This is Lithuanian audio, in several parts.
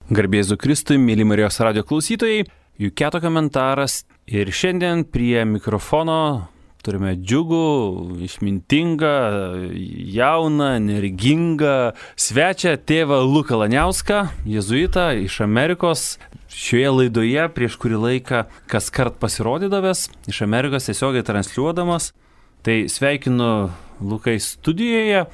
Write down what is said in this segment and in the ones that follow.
Garbėzu Kristui, mėly Marijos radijo klausytojai, Juketo komentaras ir šiandien prie mikrofono turime džiugų, išmintingą, jauną, energingą svečią tėvą Luką Laniauską, jėzuitą iš Amerikos. Šioje laidoje prieš kurį laiką kas kart pasirodydavęs, iš Amerikos tiesiogiai transliuodamas. Tai sveikinu Lukai studijoje.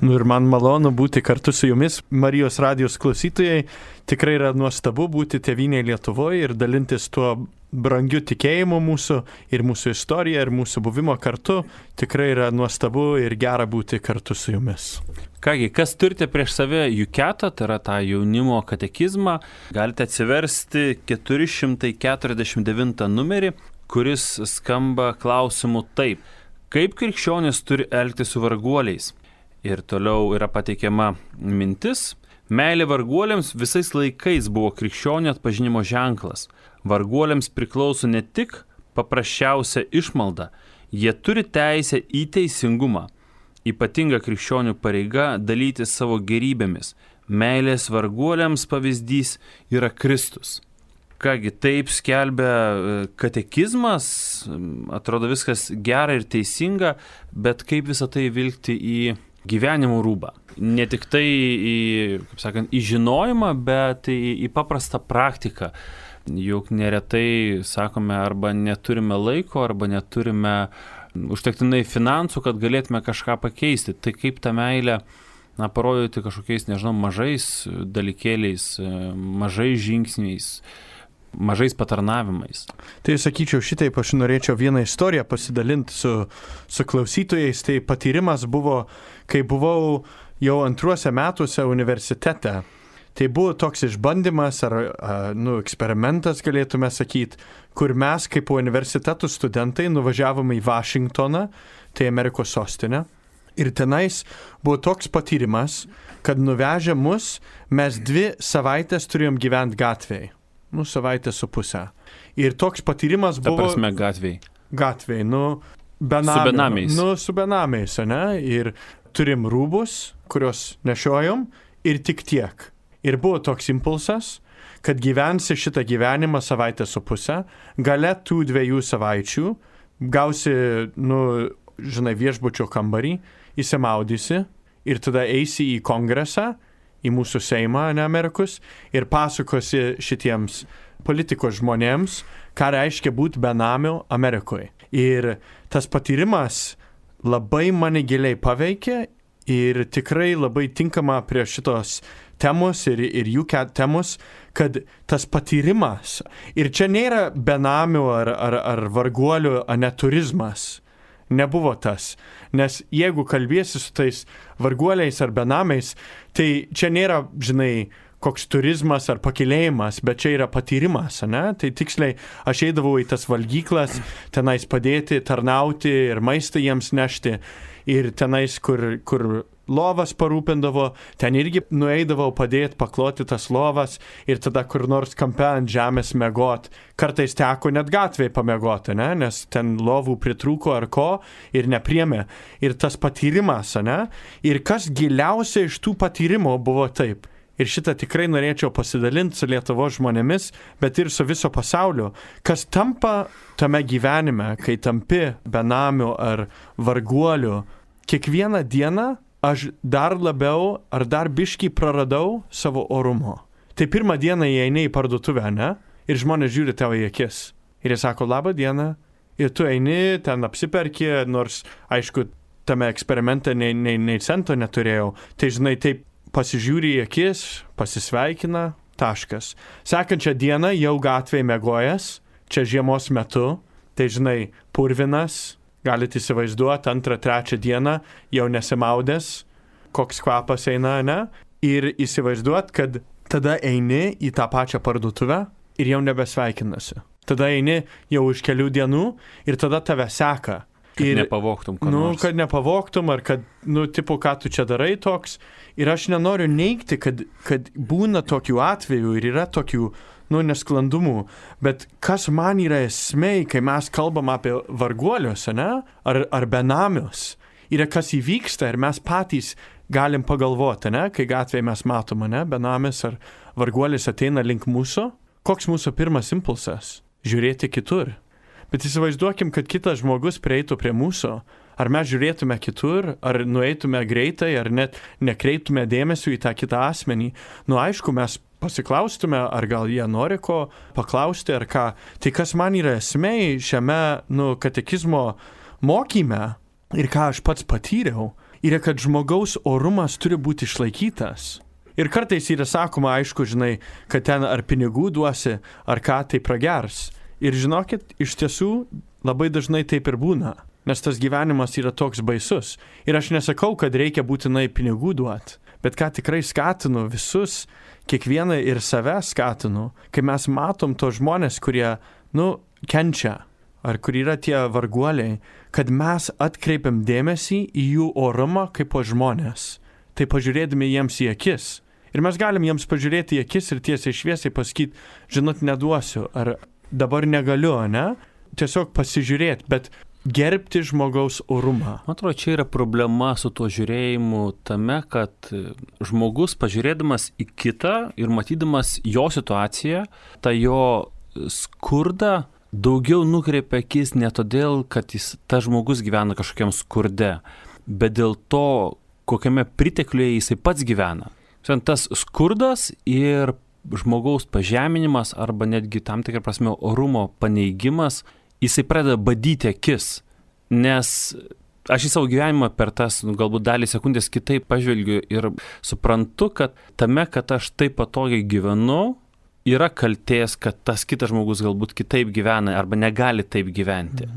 Ir man malonu būti kartu su jumis, Marijos radijos klausytojai. Tikrai yra nuostabu būti tėvynėje Lietuvoje ir dalintis tuo brangiu tikėjimu mūsų ir mūsų istorija ir mūsų buvimo kartu. Tikrai yra nuostabu ir gera būti kartu su jumis. Kągi, kas turite prieš save Juketą, tai yra tą jaunimo katekizmą, galite atsiversti 449 numerį, kuris skamba klausimu taip. Kaip krikščionis turi elgtis su varguoliais? Ir toliau yra pateikiama mintis. Meilė varguoliams visais laikais buvo krikščionių atpažinimo ženklas. Varguoliams priklauso ne tik paprasčiausia išmalda, jie turi teisę į teisingumą. Ypatinga krikščionių pareiga dalytis savo gerybėmis. Meilės varguoliams pavyzdys yra Kristus. Kągi, taip skelbia katekizmas, atrodo viskas gera ir teisinga, bet kaip visą tai vilkti į gyvenimo rūbą. Ne tik tai į žinojimą, bet į paprastą praktiką. Juk neretai, sakome, arba neturime laiko, arba neturime užtektinai finansų, kad galėtume kažką pakeisti. Tai kaip tą meilę parodyti kažkokiais, mažais dalykėliais, mažais žingsniais, mažais patarnavimais. Tai sakyčiau, šitaip aš norėčiau vieną istoriją pasidalinti su klausytojais. Tai patyrimas buvo, kai buvau jau antruose metuose universitete. Tai buvo toks išbandymas ar eksperimentas, galėtume sakyti, kur mes kaip universitetų studentai nuvažiavome į Vašingtoną, tai Amerikos sostinę. Ir tenais buvo toks patyrimas, kad nuvežę mus, mes 2 savaitės turėjom gyventi gatvėje. Savaitę su pusę. Ir toks patyrimas buvo... Ta prasme gatvėje. Gatvėje, Su benamiais. Su benamiais, ne? Ir turim rūbus, kurios nešiojom, ir tik tiek. Ir buvo toks impulsas, kad gyvensi šitą gyvenimą savaitę su pusę, gale tų 2 savaičių gausi, viešbučio kambarį, įsimaudysi ir tada eisi į kongresą, į mūsų Seimą, Amerikos, ir pasakosi šitiems politikos žmonėms, ką reiškia būti benamiu Amerikoje. Ir tas patyrimas labai mane giliai paveikė ir tikrai labai tinkama prie šitos temos ir jų temos, kad tas patyrimas, ir čia nėra benamių ar varguolių neturizmas, nebuvo tas. Nes jeigu kalbėsi su tais varguoliais ar benamiais, tai čia nėra, koks turizmas ar pakilėjimas, bet čia yra patyrimas, ne? Tai tiksliai aš eidavau į tas valgyklas, tenais padėti, tarnauti ir maistą jiems nešti. Ir tenais, kur lovas parūpindavo, ten irgi nueidavau padėti, pakloti tas lovas ir tada kur nors kampe ant žemės miegot. Kartais teko net gatvėje pamiegoti, ne? Nes ten lovų pritrūko ar ko ir nepriėmė. Ir tas patyrimas, ne? Ir kas giliausia iš tų patyrimų buvo taip. Ir šitą tikrai norėčiau pasidalinti su Lietuvos žmonėmis, bet ir su viso pasaulio. Kas tampa tame gyvenime, kai tampi benamiu ar varguoliu, kiekvieną dieną aš dar labiau ar dar biškį praradau savo orumo. Tai pirmą dieną įeini į parduotuvę, ne? Ir žmonės žiūri tavo į akis. Ir jie sako, labą dieną. Ir tu eini, ten apsiperki, nors, aišku, tame eksperimente nei cento neturėjau. Tai, taip pasižiūri į akis, pasisveikina, taškas. Sekančią dieną jau gatvėje miegojęs, čia žiemos metu, tai, purvinas, galite įsivaizduoti, 2-3 dieną jau nesimaudęs, koks kvapas eina, ne? Ir įsivaizduoti, kad tada eini į tą pačią parduotuvę ir jau nebesveikinasi. Tada eini jau už kelių dienų ir tada tave seka. Kad nepavogtum, kad nepavogtum, ar kad, ką tu čia darai toks. Ir aš nenoriu neigti, kad būna tokių atvejų ir yra tokių, nesklandumų. Bet kas man yra esmė, kai mes kalbam apie varguolius, ne? Ar benamius, yra kas įvyksta ir mes patys galim pagalvoti, ne? Kai gatvėje mes matome, ne? Benamis varguolis ateina link mūsų, koks mūsų pirmas impulsas? Žiūrėti kitur. Bet įsivaizduokim, kad kitas žmogus prieitų prie mūsų. Ar mes žiūrėtume kitur, ar nueitume greitai, ar net nekreiptume dėmesio į tą kitą asmenį. Aišku, mes pasiklaustume, ar gal jie nori ko paklausti, ar ką. Tai kas man yra esmė šiame, katekizmo mokyme ir ką aš pats patyriau, yra, kad žmogaus orumas turi būti išlaikytas. Ir kartais yra sakoma, aišku, žinai, kad ten ar pinigų duosi, ar ką tai pragers. Ir žinokit, iš tiesų labai dažnai taip ir būna. Nes tas gyvenimas yra toks baisus. Ir aš nesakau, kad reikia būtinai pinigų duoti. Bet ką tikrai skatinu visus, kiekvieną ir save skatinu, kai mes matom tos žmonės, kurie, kenčia, ar kur yra tie varguoliai, kad mes atkreipiam dėmesį į jų orumą kaip po žmonės. Tai pažiūrėdami jiems į akis. Ir mes galim jiems pažiūrėti į akis ir tiesiai šviesiai pasakyti, žinot, neduosiu, ar dabar negaliu, ne? Tiesiog pasižiūrėti, bet gerbti žmogaus orumą. Man atrodo, čia yra problema su tuo žiūrėjimu tame, kad žmogus pažiūrėdamas į kitą ir matydamas jo situaciją, tą jo skurdą daugiau nukreipia akis ne todėl, kad tas žmogus gyvena kažkokiam skurde, bet dėl to, kokiame pritekliuje jisai pats gyvena. Tas skurdas ir žmogaus pažeminimas arba netgi tam tikrą prasme orumo paneigimas, jisai pradeda badyti akis, nes aš į savo gyvenimą per tas galbūt dalį sekundės kitaip pažvelgiu ir suprantu, kad tame, kad aš taip patogiai gyvenu, yra kaltės, kad tas kitas žmogus galbūt kitaip gyvena arba negali taip gyventi.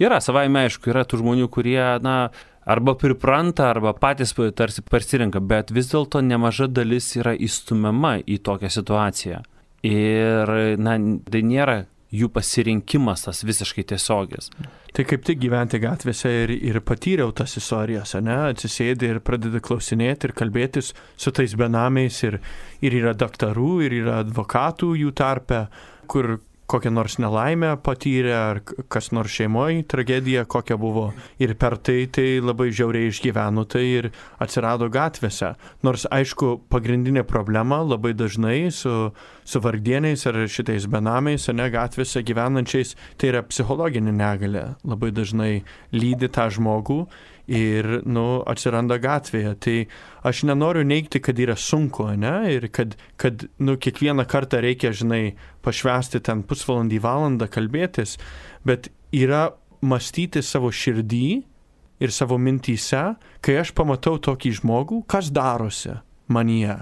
Yra, savaime aišku, yra tų žmonių, kurie, arba pripranta, arba patys tarsi pasirenka, bet vis dėlto nemaža dalis yra įstumiama į tokią situaciją. Ir, tai nėra jų pasirinkimas tas visiškai tiesiogis. Tai kaip tik gyventi gatvėse ir patyriau tas istorijas, atsisėdi ir pradedi klausinėti ir kalbėtis su tais benamiais ir yra daktarų, ir yra advokatų jų tarpe, kur kokią nors nelaimę patyrė, ar kas nors šeimoje tragedija kokia buvo. Ir per tai labai žiauriai išgyveno tai ir atsirado gatvėse. Nors, aišku, pagrindinė problema labai dažnai su vargdieniais ar šitais benamiais, gatvėse gyvenančiais, tai yra psichologinė negalia. Labai dažnai lydi tą žmogų ir, atsiranda gatvėje. Tai aš nenoriu neigti, kad yra sunku, ir kad kiekvieną kartą reikia, pašvęsti ten pusvalandį, valandą kalbėtis, bet yra mąstyti savo širdį ir savo mintyse, kai aš pamatau tokį žmogų, kas darosi manyje.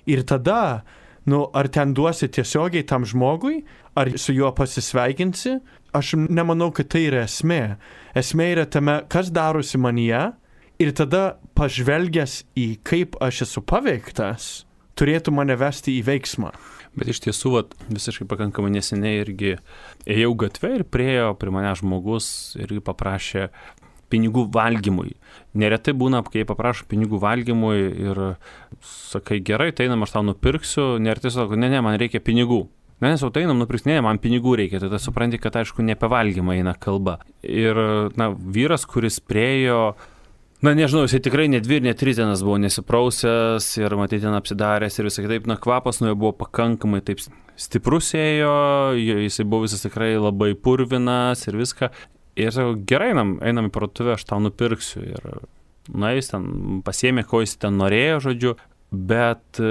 Ir tada, ar ten duosi tiesiogiai tam žmogui, ar su juo pasisveikinsi, aš nemanau, kad tai yra esmė. Esmė yra tame, kas darosi manyje, ir tada pažvelgęs į kaip aš esu paveiktas, turėtų mane vesti į veiksmą. Bet iš tiesų, visiškai pakankamai neseniai irgi ėjau gatvę ir priėjo prie mane žmogus ir paprašė pinigų valgymui. Neretai būna, kai paprašo pinigų valgymui ir sakai, gerai, tai einam, aš tau nupirksiu, neretai sako, ne, man reikia pinigų. Nes jau tai einam nupirks, ne, man pinigų reikia, tada supranti, kad aišku ne apie valgymą eina kalba. Ir vyras, kuris priėjo, nežinau, jisai tikrai ne 2 ir ne 3 dienas buvo nesiprausęs ir matyti ten apsidaręs ir visai kitaip, kvapas nuo jo buvo pakankamai taip stiprus ėjo, jisai buvo visas tikrai labai purvinas ir viską. Ir sakau, gerai, einam į parduotuvę, aš tau nupirksiu. Ir jis ten pasiėmė, ko jis ten norėjo, žodžiu, bet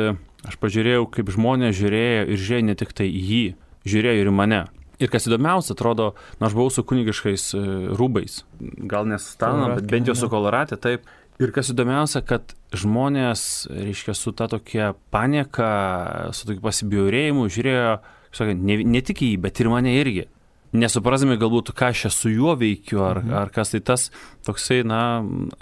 aš pažiūrėjau, kaip žmonės žiūrėjo ir žiūrėjo ne tik tai į jį, žiūrėjo ir į mane. Ir kas įdomiausia, atrodo, aš buvau su kunigiškais rūbais, gal nesustana, bet bent jau su koloratė, taip. Ir kas įdomiausia, kad žmonės, reiškia, su ta tokia panieka, su tokiu pasibjaurėjimu žiūrėjo, ne tik į jį, bet ir mane irgi. Nesuprasdami galbūt, ką aš su juo veikiu, ar kas tai tas toksai,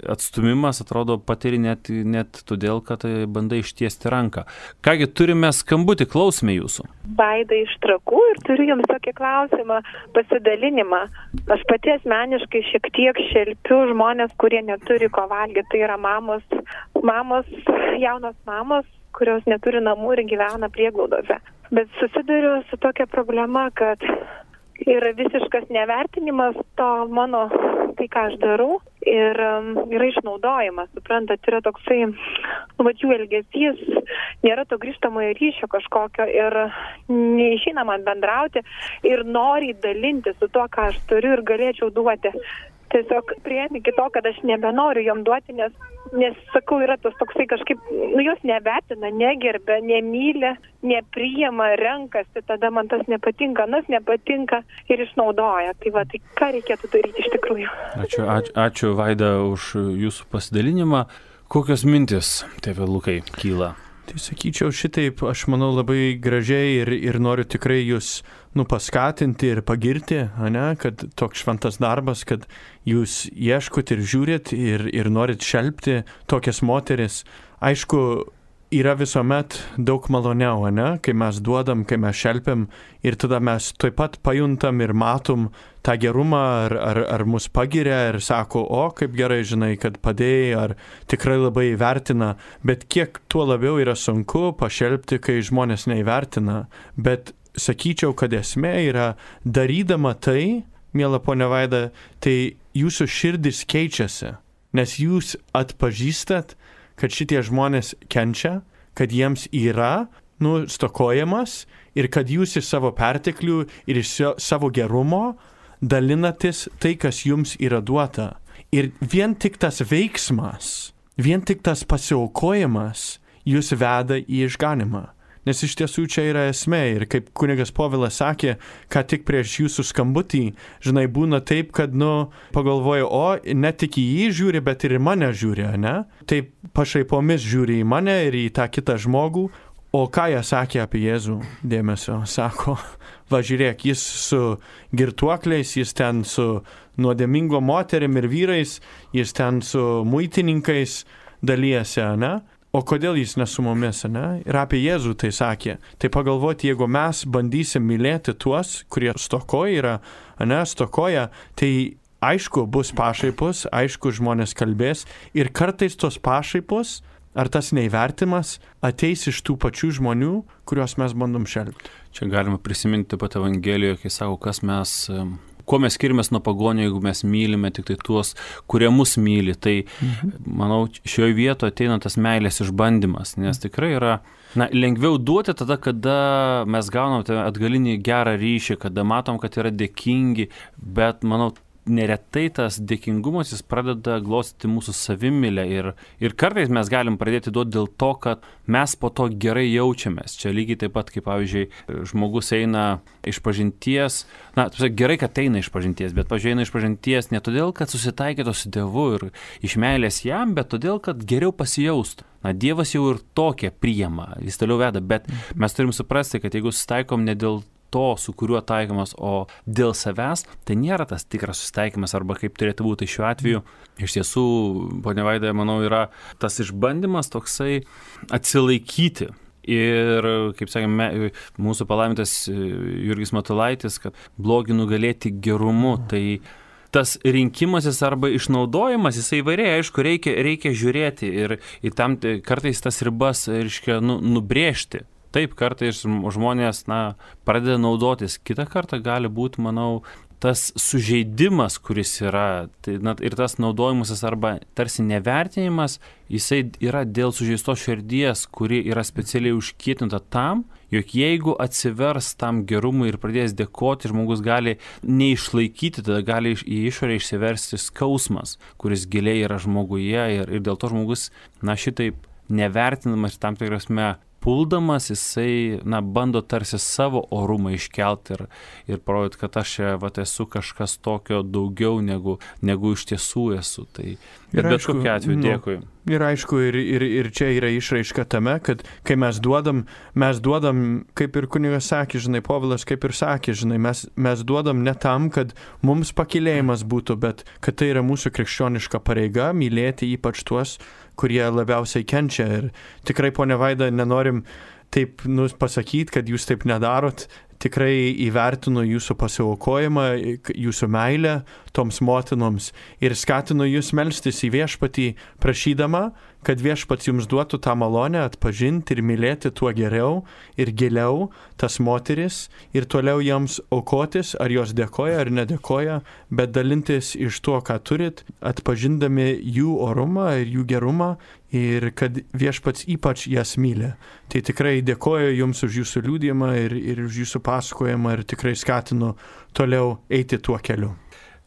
atstumimas, atrodo, patiri net todėl, kad bandai ištiesti ranką. Kągi, turime skambutį, klausime jūsų. Vaida iš Trakų ir turiu jums tokį klausimą, pasidalinimą. Aš pati asmeniškai šiek tiek šelpiu žmonės, kurie neturi ko valgyti. Tai yra jaunos mamos, kurios neturi namų ir gyvena prieglaudose. Bet susiduriu su tokia problema, kad yra visiškas nevertinimas to tai ką aš darau. ir yra išnaudojimas, suprantat, yra toksai, jų elgesys, nėra to grįžtamojo ryšio kažkokio ir neišeina man bendrauti ir nori dalinti su tuo, ką aš turiu ir galėčiau duoti. Tiesiog priėmė iki to, kad aš nebenoriu jom duoti, nes sakau, yra tas toksai kažkaip, jos nevertina, negerbia, nemyli, nepriima, renkasi, tada man tas nepatinka, nepatinka ir išnaudoja. Tai ką reikėtų daryti iš tikrųjų? Ačiū Vaida už jūsų pasidalinimą. Kokios mintis, tėve Lukai, kyla? Tai sakyčiau šitaip, aš manau labai gražiai ir noriu tikrai jūs paskatinti ir pagirti, kad toks šventas darbas, kad jūs ieškot ir žiūrit ir norit šelpti tokias moteris. Aišku, yra visuomet daug maloniau, kai mes duodam, kai mes šelpiam ir tada mes taip pat pajuntam ir matom tą gerumą, ar mus pagiria ir sako, kaip gerai žinai, kad padėjai, ar tikrai labai įvertina, bet kiek tuo labiau yra sunku pašelpti, kai žmonės neįvertina. Bet sakyčiau, kad esmė yra darydama tai, miela ponia Vaida, tai jūsų širdis keičiasi, nes jūs atpažįstat, kad šitie žmonės kenčia, kad jiems yra stokojamas ir kad jūs iš savo perteklių ir iš savo gerumo dalinatės tai, kas jums yra duota. Ir vien tik tas veiksmas, vien tik tas pasiaukojimas jūs veda į išganimą. Nes iš tiesų čia yra esmė ir kaip kunigas Povilas sakė, ką tik prieš jūsų skambutį, žinai, būna taip, kad, pagalvoju, ne tik į jį žiūri, bet ir į mane žiūri, Taip pašaipomis žiūri į mane ir į tą kitą žmogų. O ką jie sakė apie Jėzų? Dėmesio, sako, žiūrėk, jis su girtuokliais, jis ten su nuodėmingo moterim ir vyrais, jis ten su muitininkais dalyjasi, O kodėl jis ne su mumis, Ir apie Jėzų tai sakė. Tai pagalvoti, jeigu mes bandysim mylėti tuos, kurie stokoja, stokoja, tai aišku bus pašaipos, aišku žmonės kalbės ir kartais tos pašaipos ar tas neįvertimas ateis iš tų pačių žmonių, kuriuos mes bandom šelpti. Čia galima prisiminti pat Evangelijoje, kai sako, kuo mes skiriamės nuo pagonių, jeigu mes mylime tik tai tuos, kurie mus myli. Tai, manau, šioje vietoje ateina tas meilės išbandymas, nes tikrai yra lengviau duoti tada, kada mes gaunam atgalinį gerą ryšį, kada matom, kad yra dėkingi, bet, manau, neretai tas dėkingumas jis pradeda glostyti mūsų savimylę ir kartais mes galim pradėti duoti dėl to, kad mes po to gerai jaučiamės. Čia lygiai taip pat, kaip pavyzdžiui, žmogus eina išpažinties, gerai, kad eina išpažinties, bet pavyzdžiui, eina išpažinties ne todėl, kad susitaikytų su Dievu ir iš meilės jam, bet todėl, kad geriau pasijaustų. Dievas jau ir tokia priima, jis toliau veda, bet mes turim suprasti, kad jeigu susitaikom ne dėl to, su kuriuo taikomas, o dėl savęs, tai nėra tas tikras susitaikymas, arba kaip turėtų būti šiuo atveju. Iš tiesų, ponia Vaida, manau, yra tas išbandymas toksai atsilaikyti. Ir, kaip sakėme, mūsų palaimintas Jurgis Matulaitis, kad blogį nugalėti gerumu, tai tas rinkimasis arba išnaudojimas, jisai įvairiai, aišku, reikia žiūrėti ir tam kartais tas ribas, reiškia, nubrėžti. Taip, kartais žmonės, pradeda naudotis. Kita kartą gali būti, manau, tas sužeidimas, kuris yra, tai, ir tas naudojimasis arba tarsi nevertinimas, jisai yra dėl sužeistos širdies, kuri yra specialiai užkietinta tam, jog jeigu atsivers tam gerumui ir pradės dėkoti, žmogus gali neišlaikyti, tada gali į išorę išsiversti skausmas, kuris giliai yra žmoguje ir dėl to žmogus, šitaip nevertinamas tam tikrasme puldamas, jisai, bando tarsi savo orumą iškelti ir parodyti, kad aš esu kažkas tokio daugiau negu iš tiesų esu. Tai bet kokiu atveju dėkui. Ir aišku, ir čia yra išraiška tame, kad kai mes duodam, kaip ir kunigas sakė, žinai, Povilas kaip ir sakė, žinai, mes duodam ne tam, kad mums pakylėjimas būtų, bet kad tai yra mūsų krikščioniška pareiga mylėti ypač tuos, kurie labiausiai kenčia. Ir tikrai, ponia Vaida, nenorim taip pasakyti, kad jūs taip nedarot. Tikrai įvertinu jūsų pasiaukojimą, jūsų meilę toms motinoms ir skatinu jūs melstis į viešpatį, prašydama, kad viešpats jums duotų tą malonę atpažinti ir mylėti tuo geriau ir giliau tas moteris ir toliau joms aukotis, ar jos dėkoja ar nedėkoja, bet dalintis iš to, ką turit, atpažindami jų orumą ir jų gerumą ir kad viešpats ypač jas myli. Tai tikrai dėkoju jums už jūsų liudijimą ir už jūsų pasakojimą ir tikrai skatinu toliau eiti tuo keliu.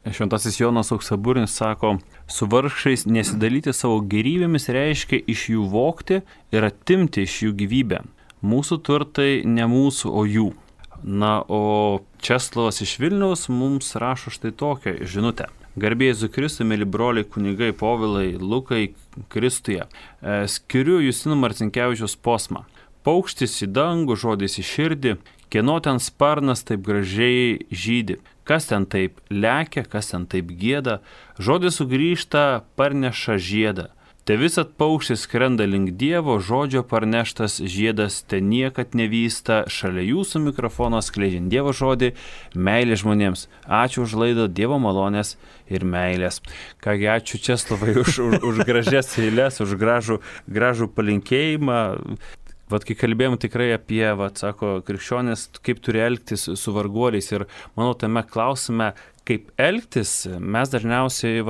Šventasis Jonas Auksaburnis sako, su vargšais nesidalyti savo gerybėmis reiškia iš jų vogti ir atimti iš jų gyvybę. Mūsų turtai ne mūsų, o jų. Na, o Česlovas iš Vilniaus mums rašo štai tokią žinutę. Garbė Jėzui Kristui, mėly broliai, kunigai, Povilai, Lukai, Kristuje. Skiriu Justino Marcinkevičiaus posmą. Paukštis į dangų, žodis į širdį, kieno ten sparnas taip gražiai žydi. Kas ten taip lekia, kas ten taip gieda, žodis sugrįžta, parneša žiedą. Te visat paukštis skrenda link Dievo, žodžio parneštas žiedas te niekad nevysta, šalia jūsų mikrofono skleidžiant Dievo žodį, meilė žmonėms. Ačiū už laidą, Dievo malonės ir meilės. Kągi, ačiū Česlovai už gražias eilės, už gražų palinkėjimą. Vat kai kalbėjom tikrai apie, sako, krikščionės, kaip turi elgtis su varguoliais ir manau, tame klausime, kaip elgtis, mes dažniausiai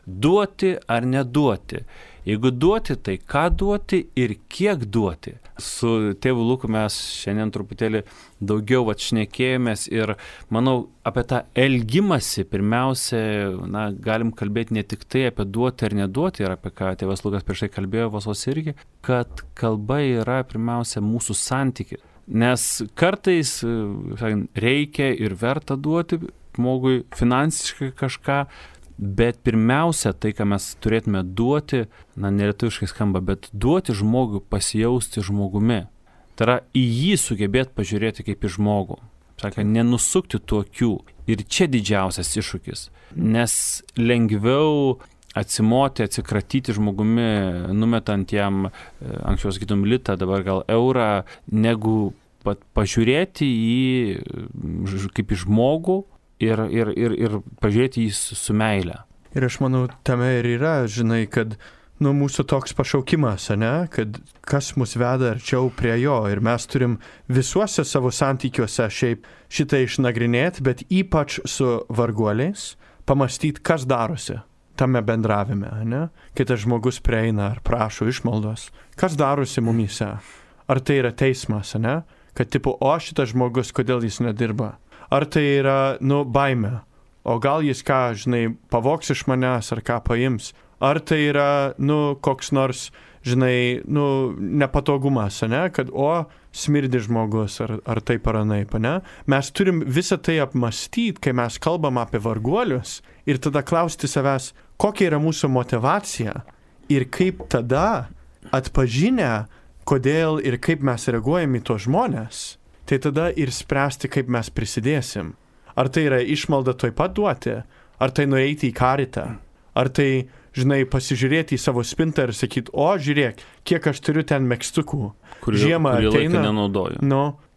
duoti ar neduoti. Jeigu duoti, tai ką duoti ir kiek duoti. Su tėvu Luku mes šiandien truputėlį daugiau šnekėjomės ir manau apie tą elgimąsi pirmiausia, galim kalbėti ne tik tai apie duoti ar neduoti ir apie ką tėvas Lukas prieš tai kalbėjo Vasos irgi, kad kalba yra pirmiausia mūsų santykis. Nes kartais reikia ir verta duoti žmogui finansiškai kažką, bet pirmiausia, tai, ką mes turėtume duoti, nelietuviškai skamba, bet duoti žmogui pasijausti žmogumi. Tai yra į jį sugebėti pažiūrėti kaip į žmogų. Sakė, nenusukti tų akių. Ir čia didžiausias iššūkis. Nes lengviau atsikratyti žmogumi, numetant jam, anksčiau sakytum litą, dabar gal eurą, negu pažiūrėti jį kaip į žmogų, ir pažiūrėti jį su meile. Ir aš manau, tame ir yra, žinai, kad mūsų toks pašaukimas, kad kas mus veda arčiau prie jo. Ir mes turim visuose savo santykiuose šiaip šitą išnagrinėti, bet ypač su varguoliais pamastyti, kas darosi tame bendravime, kai tas žmogus prieina ar prašo išmaldos. Kas darosi mumyse? Ar tai yra teismas, kad tipo, o šitas žmogus, kodėl jis nedirba? Ar tai yra, baimė? O gal jis ką, pavogs iš manęs ar ką paims? Ar tai yra, koks nors, nepatogumas, kad, smirdi žmogus ar taip ar anaip, Mes turim visą tai apmastyti, kai mes kalbam apie varguolius ir tada klausti savęs, kokia yra mūsų motyvacija ir kaip tada atpažinę, kodėl ir kaip mes reaguojam į tos žmonės. Tai tada ir spręsti, kaip mes prisidėsim. Ar tai yra išmalda toj pat duoti, ar tai nueiti į karitą, ar tai, pasižiūrėti į savo spintą ir sakyti, žiūrėk, kiek aš turiu ten megztukų. Žiemą ateina,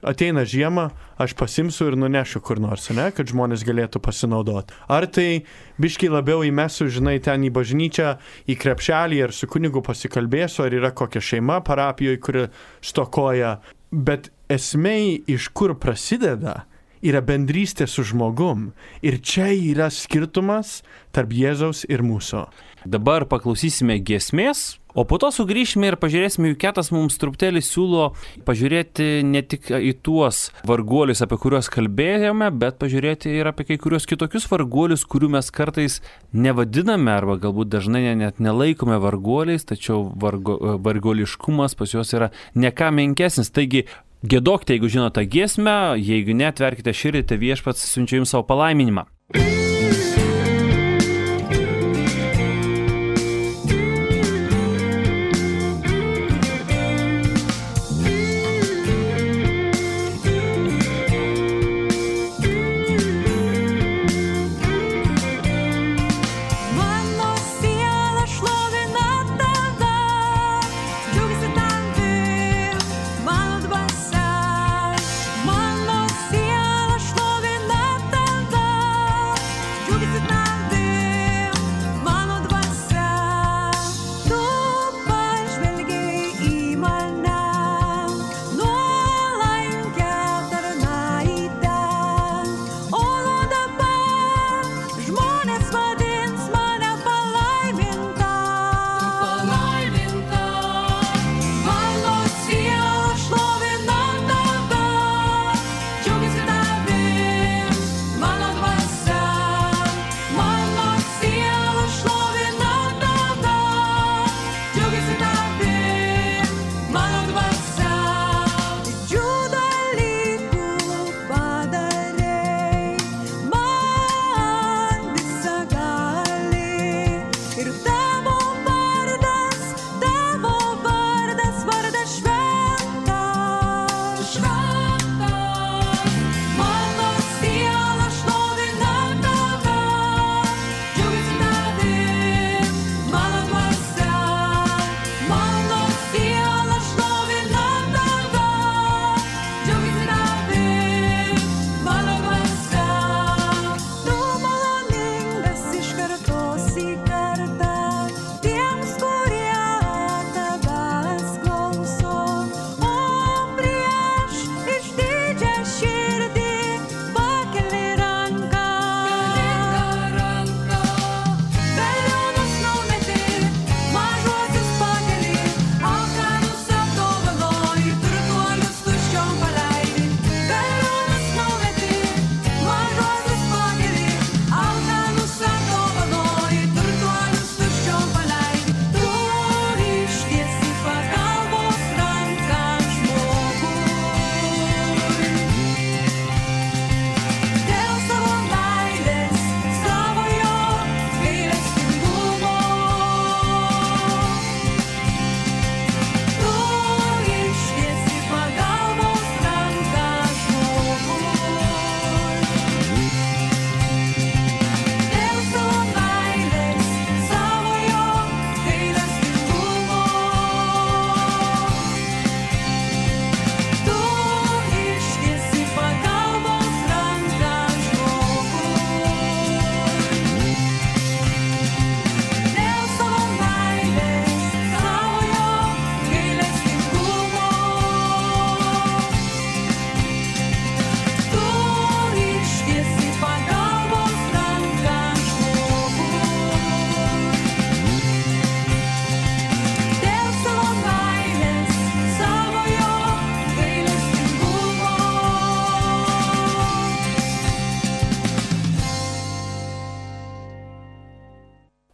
ateina žiema, aš pasimsiu ir nunešiu kur nors, kad žmonės galėtų pasinaudoti. Ar tai biškai labiau įmesiu, ten į bažnyčią, į krepšelį ir su kunigu pasikalbėsiu, ar yra kokia šeima parapijoje, kuri stokoja. Bet esmė, iš kur prasideda, yra bendrystė su žmogum. Ir čia yra skirtumas tarp Jėzaus ir mūsų. Dabar paklausysime giesmės, o po to sugrįšime ir pažiūrėsime, juk Ketas mums truputėlį siūlo pažiūrėti ne tik į tuos varguolius, apie kuriuos kalbėjome, bet pažiūrėti ir apie kai kurios kitokius varguolius, kurių mes kartais nevadiname arba galbūt dažnai net nelaikome varguoliais, tačiau varguoliškumas pas juos yra ne ką menkesnis. Taigi, giedokite, jeigu žinote giesmę, jeigu ne, atverkite širdį, tai viešpats siunčia jums savo palaiminimą. Mano siela šlovina tave.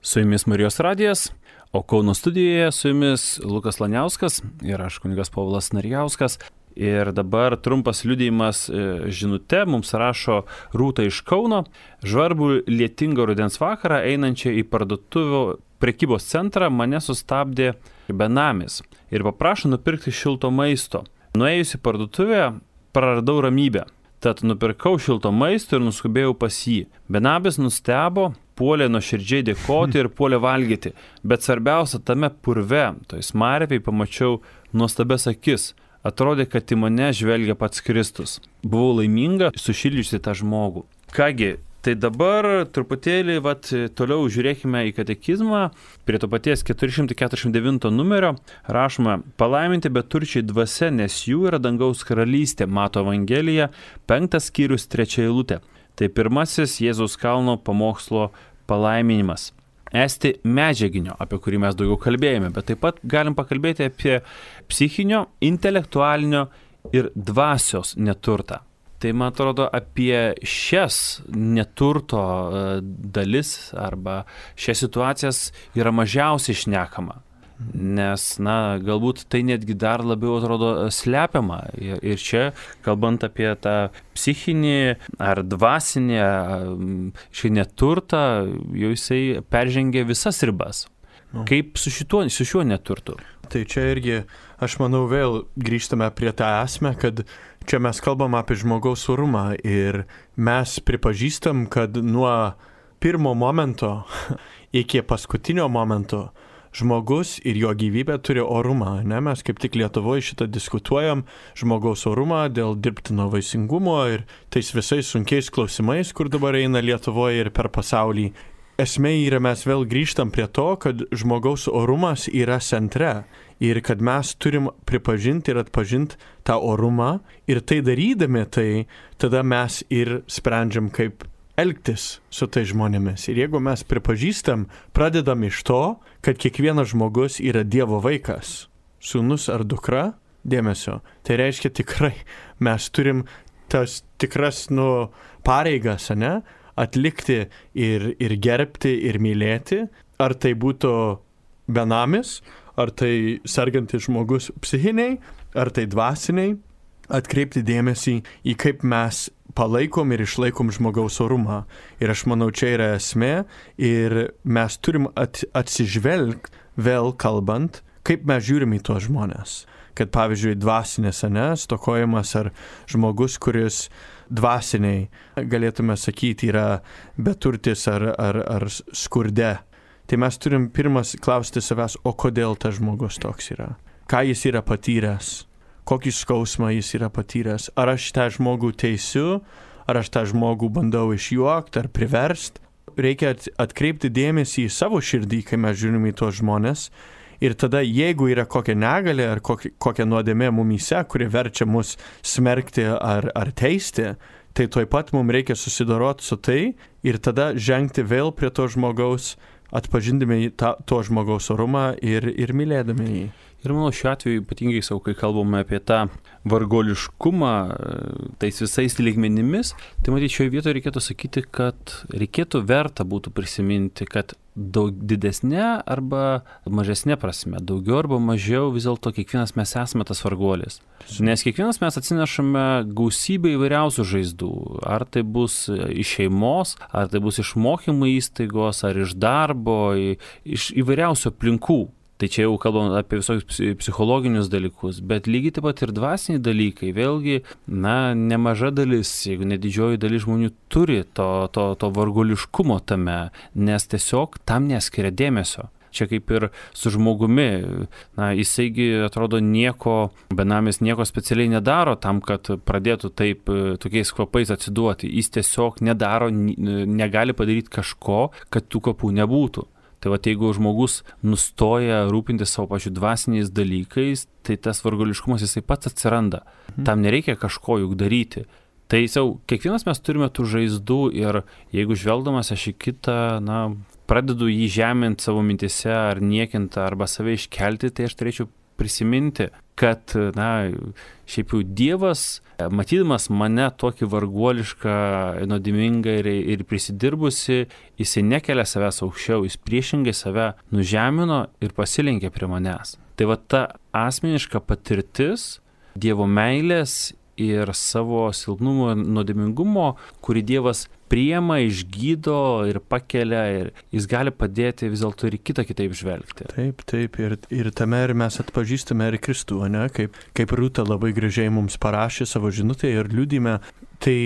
Su jumis Marijos radijas, o Kauno studijoje su jumis Lukas Laniauskas ir aš kunigas Povilas Narijauskas. Ir dabar trumpas liudijimas žinute mums rašo Rūta iš Kauno. Žvarbų lietingą rudens vakarą einančią į parduotuvių prekybos centrą mane sustabdė benamis ir paprašo nupirkti šilto maisto. Nuėjus į parduotuvę praradau ramybę. Tad nupirkau šilto maisto ir nuskubėjau pas jį. Benabis nustebo, puolė nuoširdžiai dėkoti ir puolė valgyti. Bet svarbiausia, tame purve, toj smarvėj pamačiau nuostabias akis. Atrodė, kad į mane žvelgia pats Kristus. Buvau laiminga sušildžiusi tą žmogų. Kągi, tai dabar truputėlį toliau žiūrėkime į katekizmą. Prie to paties 449 numerio rašoma: palaiminti beturčiai dvasia, nes jų yra dangaus karalystė. Mato Evangelija, 5 skyrius, 3 eilutė. Tai pirmasis Jėzaus kalno pamokslo palaiminimas. Esti medžiaginio, apie kurį mes daugiau kalbėjome, bet taip pat galim pakalbėti apie psichinio, intelektualinio ir dvasios neturtą. Tai man atrodo, apie šias neturto dalis arba šias situacijas yra mažiausiai šnekama. Nes, galbūt tai netgi dar labiau atrodo slepiama. Ir čia, kalbant apie tą psichinį ar dvasinį šį neturtą, jau jisai peržengia visas ribas. Kaip su šiuo neturtu? Tai čia irgi, aš manau, vėl grįžtame prie tą esmę, kad čia mes kalbam apie žmogaus orumą ir mes pripažįstam, kad nuo pirmo momento iki paskutinio momento žmogus ir jo gyvybė turi orumą. Mes kaip tik Lietuvoje šitą diskutuojam, žmogaus orumą dėl dirbtino vaisingumo ir tais visais sunkiais klausimais, kur dabar eina Lietuvoje ir per pasaulį. Esmė yra, mes vėl grįžtam prie to, kad žmogaus orumas yra centre ir kad mes turim pripažinti ir atpažinti tą orumą ir tai darydami tai, tada mes ir sprendžiam, kaip elgtis su tai žmonėmis. Ir jeigu mes pripažįstam, pradedam iš to, kad kiekvienas žmogus yra Dievo vaikas, sūnus ar dukra, dėmesio. Tai reiškia tikrai, mes turim tas tikras pareigas, atlikti ir gerbti ir mylėti. Ar tai būtų benamis, ar tai sergantis žmogus psichiniai, ar tai dvasiniai. Atkreipti dėmesį į kaip mes palaikom ir išlaikom žmogaus orumą. Ir aš manau, čia yra esmė ir mes turim atsižvelgti, vėl kalbant, kaip mes žiūrim į tuos žmonės. Kad pavyzdžiui, dvasinės, stokojimas ar žmogus, kuris dvasiniai, galėtume sakyti, yra beturtis ar skurde. Tai mes turim pirmas klausti savęs, o kodėl tas žmogus toks yra? Ką jis yra patyręs? Kokį skausmą jis yra patyręs? Ar aš tą žmogų teisiu? Ar aš tą žmogų bandau išjuokti ar priversti? Reikia atkreipti dėmesį į savo širdį, kai mes žiūrim į tos žmonės. Ir tada, jeigu yra kokia negalė ar kokia nuodėmė mumyse, kuri verčia mus smerkti ar teisti, tai tuoj pat mums reikia susidoroti su tai ir tada žengti vėl prie to žmogaus, atpažindami to žmogaus orumą ir mylėdami jį. Ir manau, šiuo atveju ypatingai kai kalbame apie tą vargoliškumą tais visais lygmenimis, tai matyti, šioje vietoje reikėtų sakyti, kad reikėtų verta būtų prisiminti, kad daug didesnė arba mažesnė prasme, daugiau arba mažiau vis dėlto kiekvienas mes esame tas vargolis. Nes kiekvienas mes atsinešame gausybę įvairiausių žaizdų. Ar tai bus iš šeimos, ar tai bus iš mokymo įstaigos, ar iš darbo, iš įvairiausių aplinkų. Tai čia jau kalbam apie visokius psichologinius dalykus, bet lygiai taip pat ir dvasiniai dalykai. Vėlgi, nemaža dalis, jeigu ne didžioji dalis žmonių turi to vargoliškumo tame, nes tiesiog tam neskiria dėmesio. Čia kaip ir su žmogumi, jisaigi atrodo benamis nieko specialiai nedaro tam, kad pradėtų taip tokiais kvapais atsiduoti. Jis tiesiog nedaro, negali padaryti kažko, kad tų kvapų nebūtų. Tai jeigu žmogus nustoja rūpintis savo pačių dvasiniais dalykais, tai tas vargoliškumas jisai pats atsiranda. Tam nereikia kažko juk daryti. Tai kiekvienas mes turime tų žaizdų ir jeigu žvelgdamas aš į kitą, pradedu jį žeminti savo mintise ar niekinti arba save iškelti, tai aš turėčiau prisiminti, kad, šiaip jau Dievas, matydamas mane tokį varguolišką, nuodėmingą ir prisidirbusi, jisai nekelia savęs aukščiau, jis priešingai save nužemino ir pasilenkė prie manęs. Tai va ta asmeniška patirtis Dievo meilės ir savo silpnumo ir nuodėmingumo, kurį Dievas priima, išgydo ir pakelia, ir jis gali padėti vis dėlto ir kitą kitaip žvelgti. Taip, ir tame ir mes atpažįstame ir Kristų, ne? Kaip Rūta labai gražiai mums parašė savo žinutėje ir liudime, tai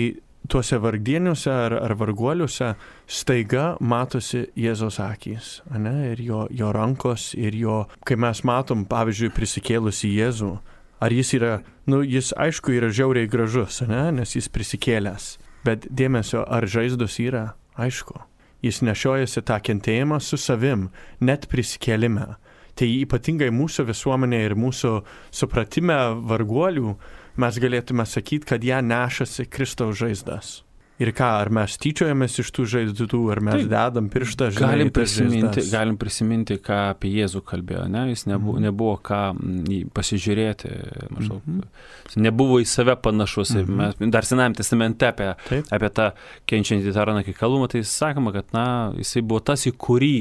tuose vargdieniuose ar varguoliuose staiga matosi Jėzaus akys, ne? Ir jo rankos, ir jo, kai mes matom, pavyzdžiui, prisikėlusi Jėzų, ar jis yra, jis aišku yra žiauriai gražus, ne? Nes jis prisikėlęs. Bet dėmesio, ar žaizdos yra? Aišku. Jis nešiojasi tą kentėjimą su savim, net prisikėlime. Tai ypatingai mūsų visuomenė ir mūsų supratime varguolių mes galėtume sakyti, kad ją nešasi Kristaus žaizdas. Ir ką, ar mes tyčiojamės iš tų žaizdų, ar mes dedam pirštą, galim prisiminti, ką apie Jėzų kalbėjo, ne? Jis nebuvo ką pasižiūrėti, maždaug. Nebuvo į save panašus. Mes dar Senajame testamente apie tą kenčiantį taraną kikalumą, tai sakoma, kad jisai buvo tas, į kurį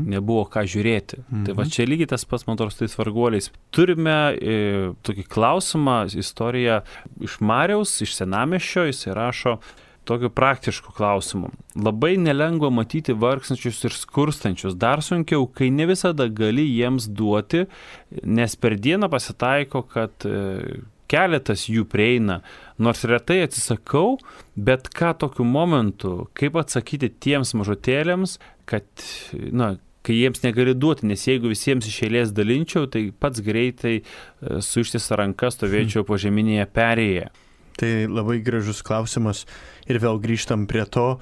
nebuvo ką žiūrėti. Tai va čia lygiai tas pats, man atrodo, su tais varguoliais. Turime tokį klausimą, istoriją iš Mariaus, iš Senamiesčio, jis rašo tokiu praktišku klausimu. Labai nelengva matyti vargstančius ir skurstančius, dar sunkiau, kai ne visada gali jiems duoti, nes per dieną pasitaiko, kad keletas jų prieina, nors retai atsisakau, bet ką tokiu momentu, kaip atsakyti tiems mažutėliams, kad, kai jiems negali duoti, nes jeigu visiems iš eilės dalinčiau, tai pats greitai su ištisa ranka stovėčiau po žeminėje perėje. Tai labai gražus klausimas ir vėl grįžtam prie to,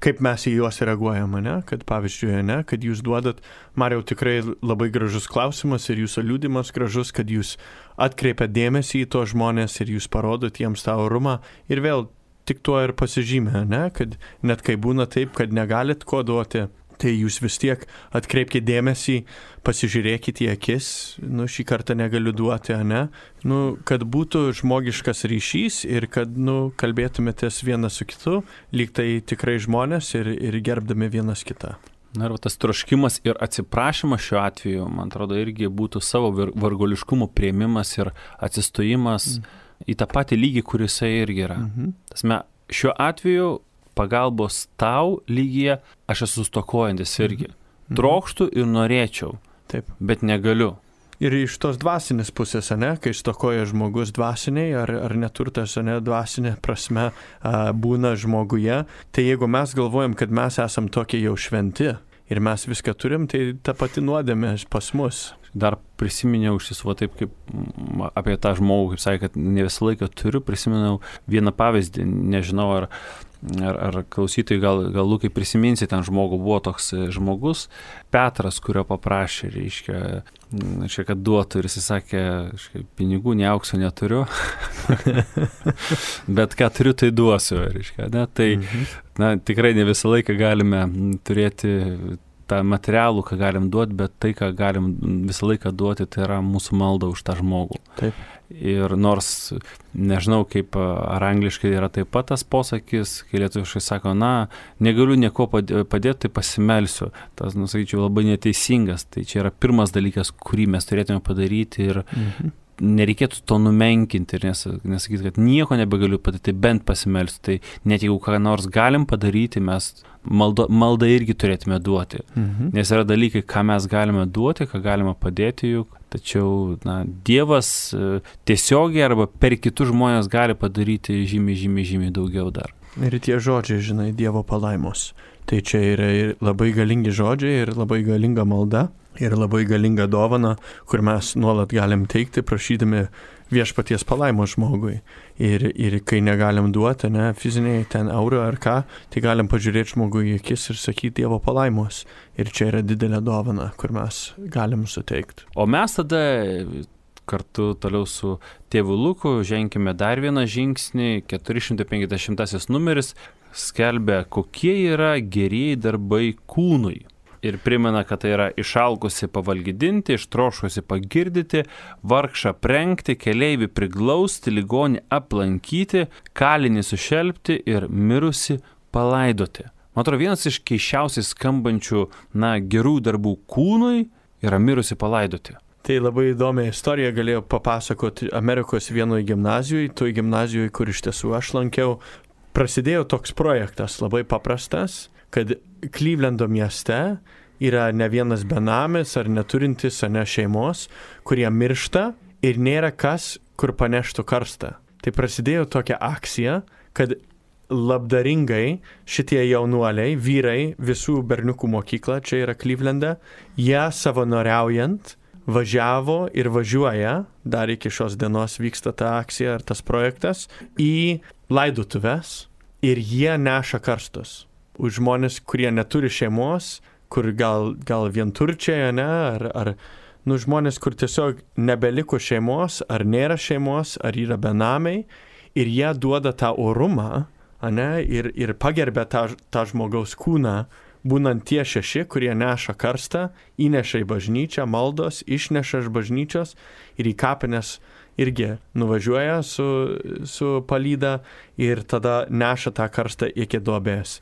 kaip mes į juos reaguojame, ne? Kad pavyzdžiui, ne? Kad jūs duodat, Mariau, tikrai labai gražus klausimas ir jūsų liudimas gražus, kad jūs atkreipiat dėmesį į to žmonės ir jūs parodot jiems tą orumą ir vėl tik tuo ir pasižymė, ne? Kad net kai būna taip, kad negalit ko duoti, tai jūs vis tiek atkreipkite dėmesį, pasižiūrėkite į akis, šį kartą negaliu duoti, ne? Kad būtų žmogiškas ryšys ir kad, kalbėtumėtės vienas su kitu, lyg tai tikrai žmonės ir gerbdami vienas kitą. Ir tas troškimas ir atsiprašymas šiuo atveju, man atrodo, irgi būtų savo vargoliškumo priėmimas ir atsistojimas į tą patį lygį, kuris irgi yra. Tasme, šiuo atveju pagalbos tau lygyje aš esu stokojantis irgi. Trokštų ir norėčiau, bet negaliu. Ir iš tos dvasinės pusės, ne, kai stokoja žmogus dvasiniai ar neturtas, ne, dvasinė prasme būna žmoguje, tai jeigu mes galvojam, kad mes esam tokie jau šventi ir mes viską turim, tai ta pati nuodėmė pas mus. Dar prisiminiau iš tiesų taip, kaip apie tą žmogų, kaip sakė, kad ne visą laiką turiu, prisiminiau vieną pavyzdį, nežinau, ar klausytojai gal Lukai prisiminsi, ten žmogų buvo toks žmogus, Petras, kurio paprašė, reiškia, kad duotų ir jis sakė, pinigų, ne aukso neturiu, bet ką turiu, tai duosiu, reiškia, ne? Tai tikrai ne visą laiką galime turėti tą materialų, ką galim duoti, bet tai, ką galim visą laiką duoti, tai yra mūsų malda už tą žmogų. Taip. Ir nors, nežinau, kaip ar angliškai yra taip pat tas posakis, kai lietuviškai sako, negaliu nieko padėti, tai pasimelsiu. Tas, sakyčiau, labai neteisingas. Tai čia yra pirmas dalykas, kurį mes turėtume padaryti ir nereikėtų to numenkinti ir nesakyti, kad nieko nebegaliu padaryti, bent pasimelsiu. Tai net jeigu ką nors galim padaryti, mes maldą irgi turėtume duoti. Nes yra dalykai, ką mes galime duoti, ką galime padėti juk. Tačiau Dievas tiesiogiai arba per kitus žmonės gali padaryti žymiai daugiau dar. Ir tie žodžiai, žinai, Dievo palaimos. Tai čia yra ir labai galingi žodžiai, ir labai galinga malda, ir labai galinga dovana, kur mes nuolat galim teikti, prašydami viešpaties palaimos žmogui. Ir kai negalim duoti, ne, fiziniai ten eurą ar ką, tai galim pažiūrėti žmogui į akis ir sakyti Dievo palaimos. Ir čia yra didelė dovana, kur mes galim suteikti. O mes tada kartu toliau su tėvu Luku ženkime dar vieną žingsnį, 450 numeris skelbia, kokie yra gerieji darbai kūnui. Ir primena, kad tai yra išalkusi pavalgydinti, ištrošusi pagirdyti, vargšą prengti, keleivį priglausti, ligonį aplankyti, kalinį sušelpti ir mirusi palaidoti. Man atrodo, vienas iš keiščiausiai skambančių, gerų darbų kūnui yra mirusi palaidoti. Tai labai įdomią istoriją galėjau papasakoti Amerikos vienoje gimnazijoje, toj gimnazijoje, kur iš tiesų aš lankiau. Prasidėjo toks projektas, labai paprastas, kad Clevelando mieste yra ne vienas benamis ar neturintis šeimos, kurie miršta ir nėra kas, kur paneštų karstą. Tai prasidėjo tokia akcija, kad labdaringai šitie jaunuoliai, vyrai, visų berniukų mokykla, čia yra Clevelande, jie savanoriaujant važiavo ir važiuoja, dar iki šios dienos vyksta ta akcija ar tas projektas, į laidotuves ir jie neša karstus. Už žmonės, kurie neturi šeimos, kur gal vienturčiai, ar žmonės, kur tiesiog nebeliko šeimos, ar nėra šeimos, ar yra benamiai, ir jie duoda tą orumą, ir pagerbė tą žmogaus kūną, būnant tie 6, kurie neša karstą, įneša į bažnyčią, maldos, išneša iš bažnyčios ir į kapines irgi nuvažiuoja su palyda ir tada neša tą karstą iki duobės.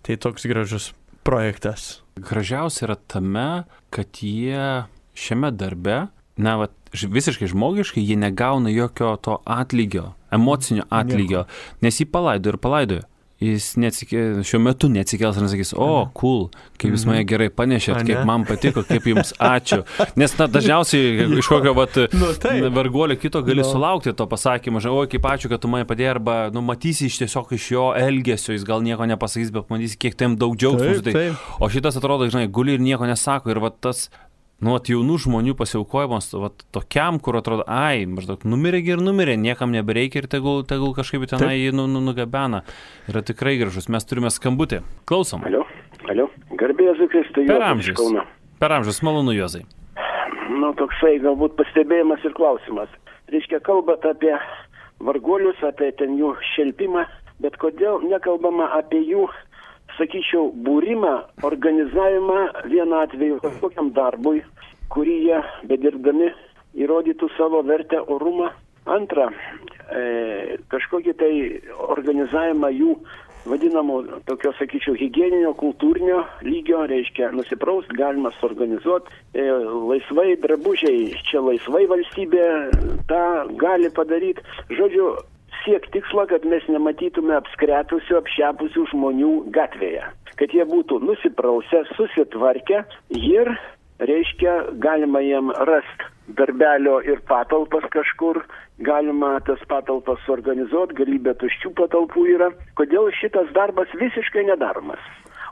Tai toks gražus projektas. Gražiausia yra tame, kad jie šiame darbe, visiškai žmogiškai, jie negauna jokio to atlygio, emocinio atlygio, nes jį palaidojo. Jis šiuo metu neatsikels ir nesakys, cool, kaip jūs mane gerai panešėt, kaip man patiko, kaip jums ačiū. Nes dažniausiai iš kokio varguolio kito gali sulaukti to pasakymą, kaip ačiū, kad tu mane padėjai, arba matysi tiesiog iš jo elgesio, jis gal nieko nepasakys, bet matysi, kiek tam daug džiaugsmo. O šitas atrodo, guli ir nieko nesako. Ir tas jaunų žmonių pasiaukojimas tokiam, kur atrodo, maždaug numirė, niekam nebereikia ir tegul kažkaip tenai jį nugabena. Yra tikrai gražus. Mes turime skambutį. Klausom. Alio. Garbė Jėzui Kristui. Per amžius, malonu Juozai. Toksai galbūt pastebėjimas ir klausimas. Reiškia, kalbat apie varguolius, apie ten jų šelpimą, bet kodėl nekalbama apie jų, sakyčiau, būrimą, organizavimą vienu atveju kažkokiam darbui, kurį jie bedirbdami įrodytų savo vertę, orumą. Antra, kažkokį tai organizavimą jų vadinamo tokio, sakyčiau, higieninio, kultūrinio lygio, reiškia, nusipraust galima suorganizuoti, laisvai drabužiai, čia laisvai valstybė tą gali padaryti. Žodžiu, siek tikslo, kad mes nematytume apskretusių, apšepusių žmonių gatvėje. Kad jie būtų nusiprausę, susitvarkę ir, reiškia, galima jiem rasti darbelio ir patalpas kažkur, galima tas patalpas suorganizuoti, galybė tuščių patalpų yra. Kodėl šitas darbas visiškai nedaromas?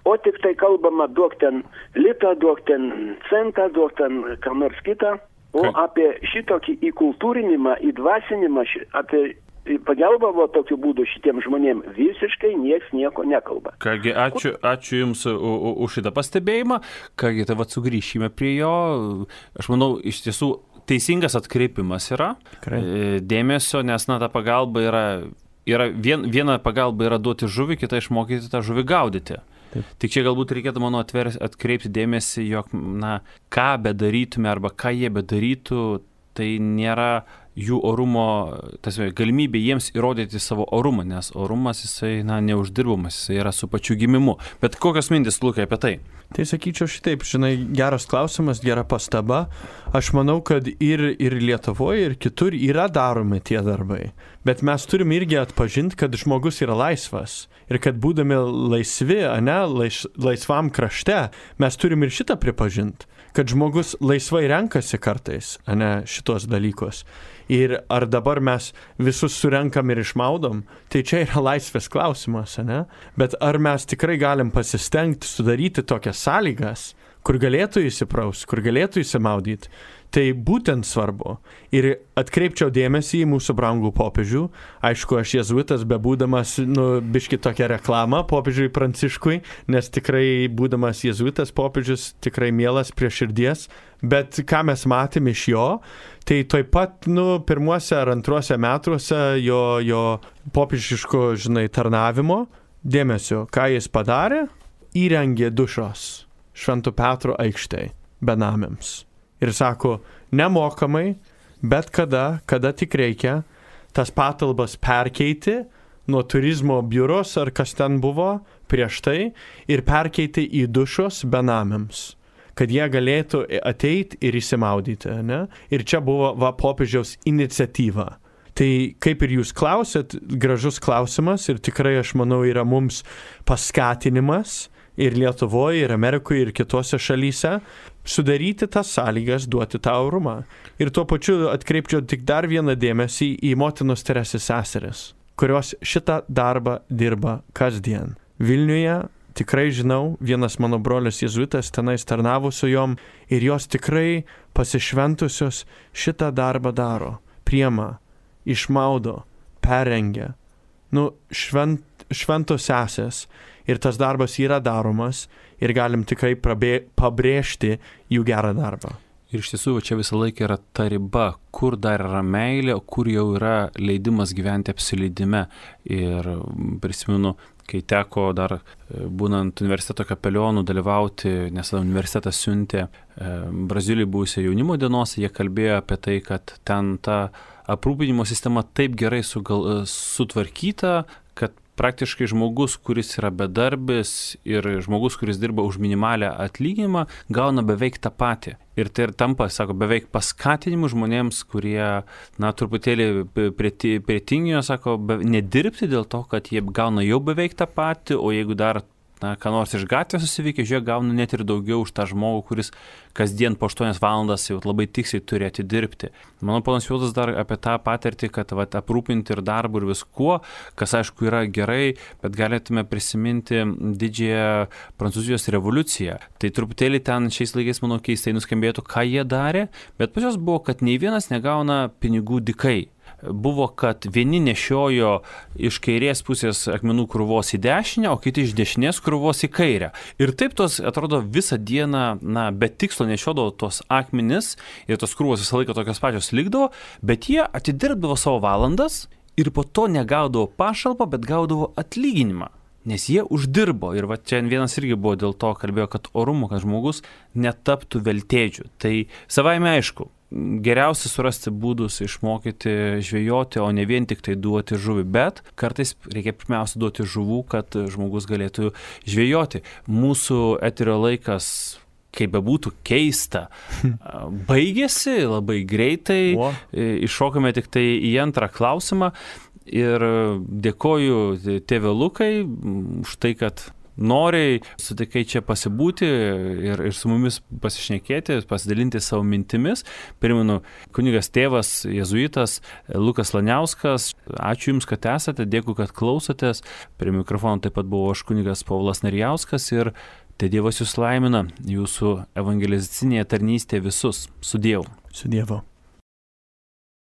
O tik tai kalbama, duok ten litą, duok ten centą, duok ten ką nors kitą. O apie šitokį įkultūrinimą, įdvasinimą, apie pagelbavo tokiu būdu šitiem žmonėm visiškai nieks nieko nekalba. Kągi, ačiū Jums už šitą pastebėjimą. Kągi, tai sugrįšime prie jo. Aš manau, iš tiesų teisingas atkreipimas yra dėmesio, nes ta pagalba viena pagalba yra duoti žuvį, kita išmokyti tą žuvį gaudyti. Taip. Tik čia galbūt reikėtų, manau, atkreipti dėmesį, jog, ką bedarytume arba ką jie bedarytų, tai nėra jų orumo, galimybė jiems įrodyti savo orumą, nes orumas jisai, neuždirbamas, jisai yra su pačiu gimimu. Bet kokios mintis, Lukai, apie tai? Tai sakyčiau šitaip, geras klausimas, gera pastaba. Aš manau, kad ir Lietuvoje, ir kitur yra daromi tie darbai. Bet mes turim irgi atpažinti, kad žmogus yra laisvas. Ir kad būdami laisvi, laisvam krašte, mes turim ir šitą pripažinti. Kad žmogus laisvai renkasi kartais, šitos dalykus. Ir ar dabar mes visus surenkam ir išmaudom, tai čia yra laisvės klausimas, Bet ar mes tikrai galim pasistengti sudaryti tokias sąlygas, kur galėtų įsipraus, kur galėtų įsimaudyti, tai būtent svarbu. Ir atkreipčiau dėmesį į mūsų brangų popiežių. Aišku, aš jėzuitas, bebūdamas, biški tokią reklamą popiežiui Pranciškui, nes tikrai būdamas jėzuitas popiežius tikrai mielas prie širdies. Bet ką mes matėm iš jo, tai toj pat, pirmuose ar antruose metuose jo popiežiško, tarnavimo dėmesio, ką jis padarė, įrengė dušos. Švento Petro aikštėje benamiams. Ir sako, nemokamai, bet kada tik reikia, tas patalbas perkeiti nuo turizmo biuros ar kas ten buvo prieš tai ir perkeiti į dušos benamiams, kad jie galėtų ateiti ir įsimaudyti. Ne? Ir čia buvo popiežiaus iniciatyva. Tai kaip ir jūs klausėt, gražus klausimas ir tikrai aš manau yra mums paskatinimas ir Lietuvoje, ir Amerikoje, ir kitose šalyse sudaryti tas sąlygas, duoti tą orumą. Ir tuo pačiu atkreipčiau tik dar vieną dėmesį į motinos Teresės seseris, kurios šitą darbą dirba kasdien. Vilniuje tikrai žinau, vienas mano brolis jėzuitas tenais tarnavo su jom ir jos tikrai pasišventusios šitą darbą daro, priema, išmaudo, perengia. Šventos sesės ir tas darbas yra daromas ir galim tikrai pabrėžti jų gerą darbą. Ir iš tiesų, čia visą laiką yra ta riba, kur dar yra meilė, kur jau yra leidimas gyventi apsileidime. Ir prisimenu, kai teko dar būnant universiteto kapelionu dalyvauti, nes universitetas siuntė Brazilijai buvusią jaunimo dienos, jie kalbėjo apie tai, kad ten ta aprūpinimo sistema taip gerai sutvarkyta, kad praktiškai žmogus, kuris yra bedarbis ir žmogus, kuris dirba už minimalę atlyginimą, gauna beveik tą patį. Ir tai ir tampa, sako, beveik paskatinimu žmonėms, kurie, truputėlį prie tinginio, sako, nedirbti dėl to, kad jie gauna jau beveik tą patį, o jeigu dar ką nors iš gatvės susivykia, žiūrėk, gauna net ir daugiau už tą žmogų, kuris kasdien po 8 valandas jau labai tiksliai turi atidirbti. Mano ponas Vildas dar apie tą patirtį, kad aprūpinti ir darbu ir viskuo, kas aišku yra gerai, bet galėtume prisiminti didžiąją Prancūzijos revoliuciją. Tai truputėlį ten šiais laikais, manau, keistai nuskambėtų, ką jie darė, bet pas juos buvo, kad nei vienas negauna pinigų dykai. Buvo, kad vieni nešiojo iš kairės pusės akmenų krūvos į dešinę, o kiti iš dešinės krūvos į kairę. Ir taip tos, atrodo, visą dieną, be tikslo nešiodavo tos akmenis ir tos krūvos visą laiką tokios pačios likdavo, bet jie atidirbdavo savo valandas ir po to negaudavo pašalpą, bet gaudavo atlyginimą. Nes jie uždirbo ir čia vienas irgi buvo dėl to kalbėjo, kad orumo, kad žmogus netaptų veltėdžių. Tai savaime aišku, geriausia surasti būdus išmokyti žvejoti, o ne vien tik tai duoti žuvį, bet kartais reikia pirmiausia duoti žuvų, kad žmogus galėtų žvejoti. Mūsų eterio laikas, kaip bebūtų keista, baigėsi labai greitai, iššokame tik tai į antrą klausimą. Ir dėkoju tėve Lukai už tai, kad noriai sutikai čia pasibūti ir su mumis pasišnekėti, pasidalinti savo mintimis. Primenu, kunigas tėvas jėzuitas Lukas Laniauskas. Ačiū Jums, kad esate, dėkui, kad klausotės. Prie mikrofono taip pat buvo aš kunigas Povilas Narijauskas ir te Dievas Jūs laimina, Jūsų evangelizacinėje tarnystėje visus. Su Dievu. Su Dievu.